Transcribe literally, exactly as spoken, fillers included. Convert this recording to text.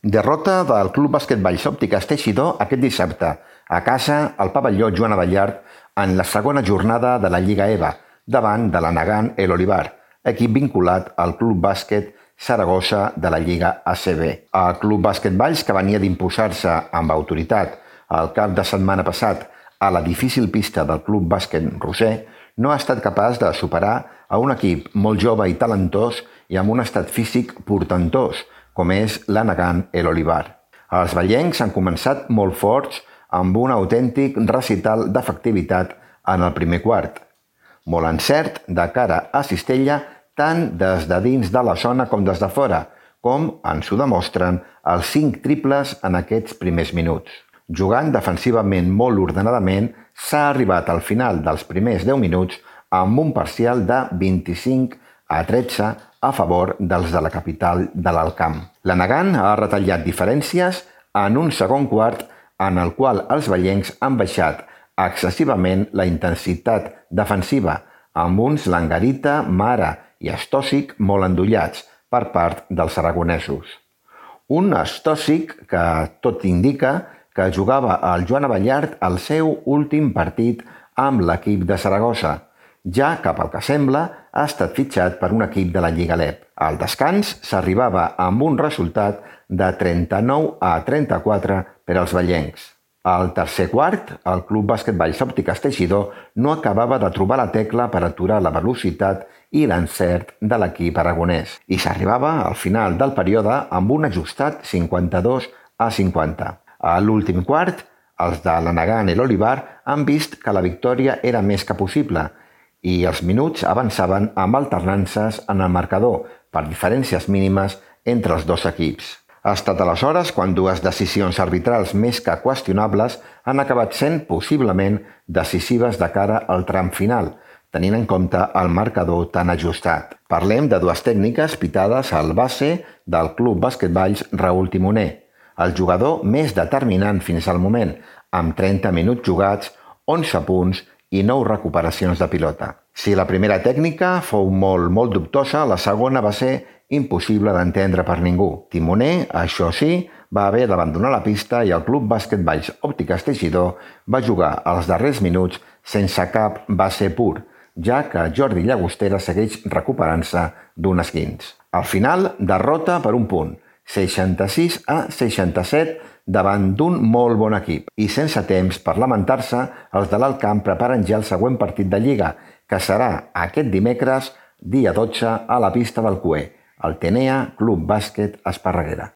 Derrota del Club Bàsquet Valls Òptiques Teixidor aquest dissabte, a casa al pavelló Joan Abellart, en la segona jornada de la Lliga E V A, davant de l'Anagán El Olivar, equip vinculat al Club Bàsquet Saragossa de la Lliga A C B. El Club Bàsquet Valls, que venia d'imposar-se amb autoritat el cap de setmana passat a la difícil pista del Club Bàsquet Roser, no ha estat capaç de superar a un equip molt jove i talentós i amb un estat físic portentós, com és l'Anagán El Olivar. Els vallencs han començat molt forts amb un autèntic recital d'efectivitat en el primer quart. Molt encert de cara a Cistella, tant des de dins de la zona com des de fora, com ens ho demostren els cinc triples en aquests primers minuts. Jugant defensivament molt ordenadament, s'ha arribat al final dels primers deu minuts amb un parcial de vint-i-cinc a tretze a favor dels de la capital de l'Alt Camp. L'Anagán ha retallat diferències en un segon quart en el qual els vallencs han baixat excessivament la intensitat defensiva, amb uns Langarita, Mara i Estòsic molt endollats per part dels aragonesos. Un Estòsic que tot indica que jugava al Joan Abellart el seu últim partit amb l'equip de Saragossa, ja que, pel que sembla, ha estat fitxat per un equip de la Lliga L E P. Al descans s'arribava amb un resultat de trenta-nou a trenta-quatre per als vallencs. Al tercer quart, el Club Bàsquet Valls Òptiques Teixidor no acabava de trobar la tecla per aturar la velocitat i l'encert de l'equip aragonès, i s'arribava al final del període amb un ajustat cinquanta-dos a cinquanta. A l'últim quart, els de l'Anagán El Olivar han vist que la victòria era més que possible i els minuts avançaven amb alternances en el marcador per diferències mínimes entre els dos equips. Ha estat aleshores quan dues decisions arbitrals més que qüestionables han acabat sent possiblement decisives de cara al tram final, tenint en compte el marcador tan ajustat. Parlem de dues tècniques pitades al base del Club Bàsquet Valls Raül Timoner, el jugador més determinant fins al moment, amb trenta minuts jugats, onze punts i nou recuperacions de pilota. Si la primera tècnica fou molt, molt dubtosa, la segona va ser impossible d'entendre per ningú. Timoner, això sí, va haver d'abandonar la pista i el Club Bàsquet Valls Òptiques Teixidor va jugar els darrers minuts sense cap base pur, ja que Jordi Llagostera segueix recuperant-se d'un esquinç. Al final, derrota per un punt, seixanta-sis a seixanta-set davant d'un molt bon equip. I sense temps per lamentar-se, els de l'Alt Camp preparen ja el següent partit de Lliga, que serà aquest dimecres, dia dotze, a la pista del Cué, el Tenea Club Bàsquet Esparreguera.